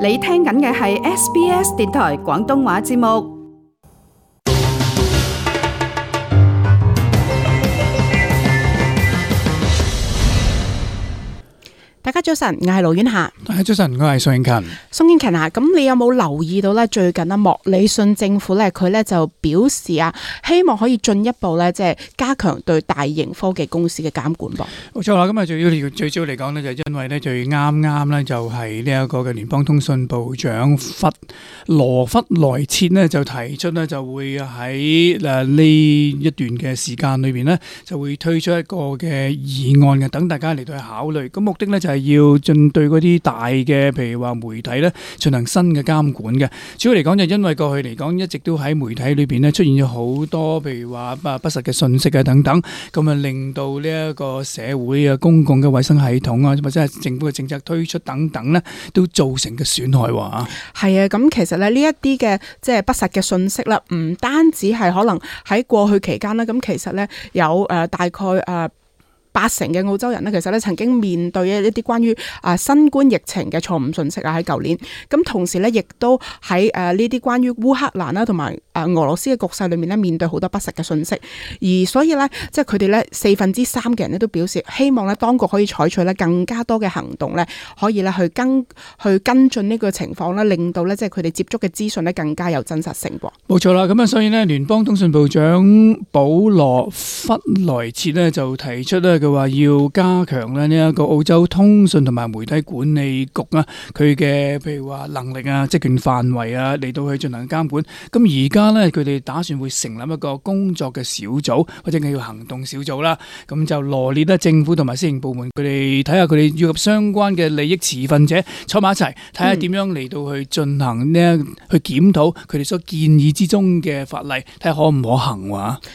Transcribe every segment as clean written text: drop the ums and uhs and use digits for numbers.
你聽緊嘅係 SBS 電台廣東話節目。大家早晨，我係盧婉霞。大家早晨，我係宋英勤。宋英勤啊，咁你有冇留意到咧？最近莫里遜政府咧，佢咧就表示啊，希望可以進一步咧，即係加強對大型科技公司嘅監管噃。冇錯啦，咁啊最主要嚟講呢，就因為呢，最啱咧就係呢一個嘅聯邦通訊部長羅弗萊切呢，就提出呢，就會喺呢一段嘅時間裏邊呢，就會推出一個嘅議案嘅，等大家嚟到去考慮。咁目的呢，就係要針對嗰啲大嘅，譬如話媒體咧，進行新嘅監管嘅。主要嚟講就因為過去嚟講一直都喺媒體裏邊咧出現咗好多，譬如話不實嘅信息啊等等，咁啊令到呢一個社會啊、公共嘅衛生系統啊，或者係政府嘅政策推出等等咧，都造成嘅損害喎。係啊，咁其實咧呢一啲嘅即係不實嘅信息啦，唔單止係可能喺過去期間啦，咁其實咧有大概80%嘅澳洲人呢，其實咧曾經面對一啲關於新冠疫情嘅錯誤信息啊，喺舊年。咁同時咧，亦都喺呢啲關於烏克蘭啦同埋俄羅斯嘅局勢裏面咧，面對好多不實嘅信息。而所以咧，即係佢哋咧3%嘅人咧都表示希望咧當局可以採取咧更加多嘅行動咧，可以咧去跟進呢個情況啦，令到咧即係佢哋接觸嘅資訊咧更加有真實性喎。冇錯啦，咁啊，所以呢，聯邦通訊部長保羅弗萊切呢，就提出咧。佢話要加強咧呢一個澳洲通訊同埋媒體管理局啊，佢嘅譬如話能力啊、職權範圍啊嚟到去進行監管。咁而家呢，佢哋打算會成立一個工作嘅小組或者叫行動小組啦。咁就羅列咧政府同埋私營部門，佢哋睇下佢哋要及相關嘅利益持份者坐埋一齊，睇下點樣嚟到去進行呢去檢討佢哋所建議之中嘅法例，睇下可唔可行喎。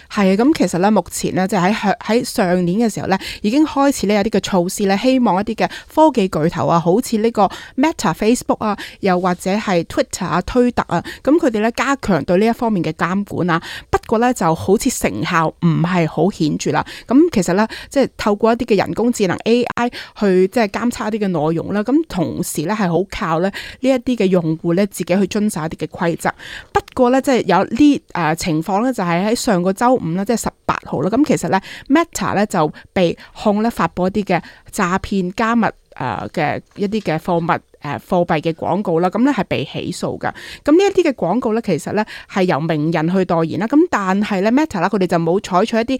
係啊，咁其實咧目前呢，就喺上年嘅時候咧。已經開始呢有啲嘅措施咧，希望一啲嘅科技巨頭啊，好似呢個 Meta、Facebook 啊，又或者係 Twitter 啊、推特啊，咁佢哋咧加強對呢一方面嘅監管啊。不過咧就好似成效唔係好顯著啦。咁其實咧即係透過一啲嘅人工智能 AI 去即係監測一啲嘅內容啦。咁同時咧係好靠咧呢一啲嘅用戶咧自己去遵守一啲嘅規則。不過咧即係有呢情況咧就係喺上個週5啦，即係18號啦。咁其實咧 Meta 咧就被控咧發佈一啲嘅詐騙加密嘅一啲嘅貨幣嘅廣告啦，咁咧係被起訴噶。咁呢一啲嘅廣告咧，其實咧係由名人去代言啦。咁但係咧 Meta 啦，佢哋就冇採取一啲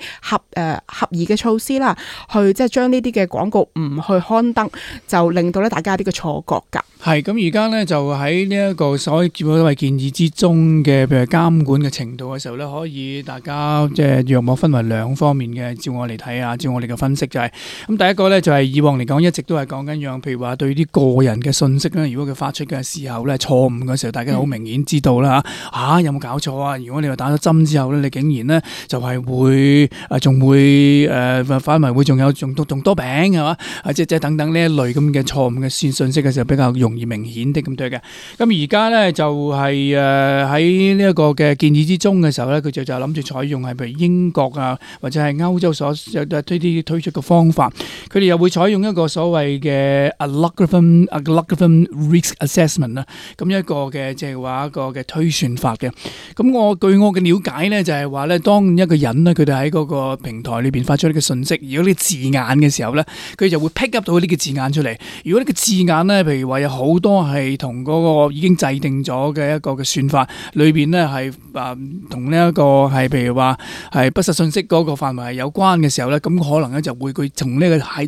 合宜嘅措施啦，去即係將呢啲嘅廣告唔去刊登，就令到咧大家有啲嘅錯覺噶。係咁而家咧就喺呢一個所謂建議之中嘅，譬如監管嘅程度嘅時候咧，可以大家即係約莫分為兩方面嘅。照我嚟睇下，照我哋嘅分析就係咁。第一個咧就係以往嚟講一直都係講緊樣，譬如話對啲個人嘅信息咧，如果佢發出嘅時候咧錯誤嘅時候，大家好明顯知道啦嚇。有冇搞錯啊？如果你話打咗針之後咧，你竟然咧就係會仲會反為會仲多餅係嘛？即等等呢一類咁嘅錯誤嘅信息嘅時候比較容易明顯啲咁多嘅。咁而家咧就係喺呢一個嘅建議之中嘅時候咧，佢就諗住採用係譬如英國啊或者係歐洲所推出嘅方法，佢哋又會採用一個所謂嘅 algorithm risk assessment 啦，咁一個嘅即係話一個嘅推算法嘅。咁據我嘅了解咧，就係話咧，當一個人咧佢哋喺嗰個平台裏邊發出呢個信息，如果呢個字眼嘅時候咧，佢就會 pick up 到呢個字眼出嚟。如果呢個字眼咧，譬如話有好多係同嗰個已經制定咗嘅一個嘅算法裏邊咧係同呢一個係譬如話係不實信息嗰個範圍係有關嘅時候咧，咁可能咧就會佢從呢個系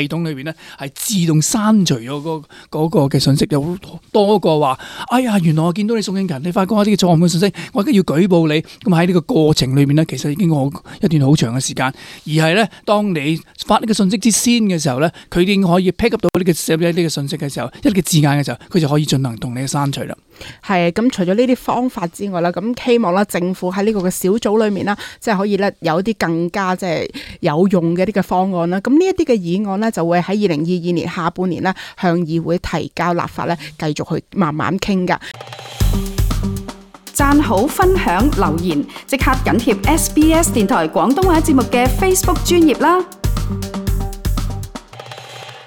統裏邊咧係自動刪除咗嗰個嘅信息，有多過話哎呀原來我見到你宋英勤你發覺一啲錯誤嘅信息，我而家要舉報你。咁喺呢個過程裏面咧，其實已經一段好長嘅時間，而係咧當你發呢個信息之先嘅時候咧，佢已經可以 pick up 到呢個信息嘅時候，一個字眼嘅時候，佢就可以進行同你嘅刪除啦。係咁，除咗呢啲方法之外啦，咁希望啦政府喺呢個嘅小組裏面啦，即係可以咧有一啲更加即係有用嘅一啲嘅方案啦。咁呢一啲嘅議案呢，就會喺2022年下半年呢向議會提交立法咧，繼續去慢慢傾噶。讚好、分享、留言，即刻緊貼SBS 電台廣東話節目嘅 Facebook 專頁啦！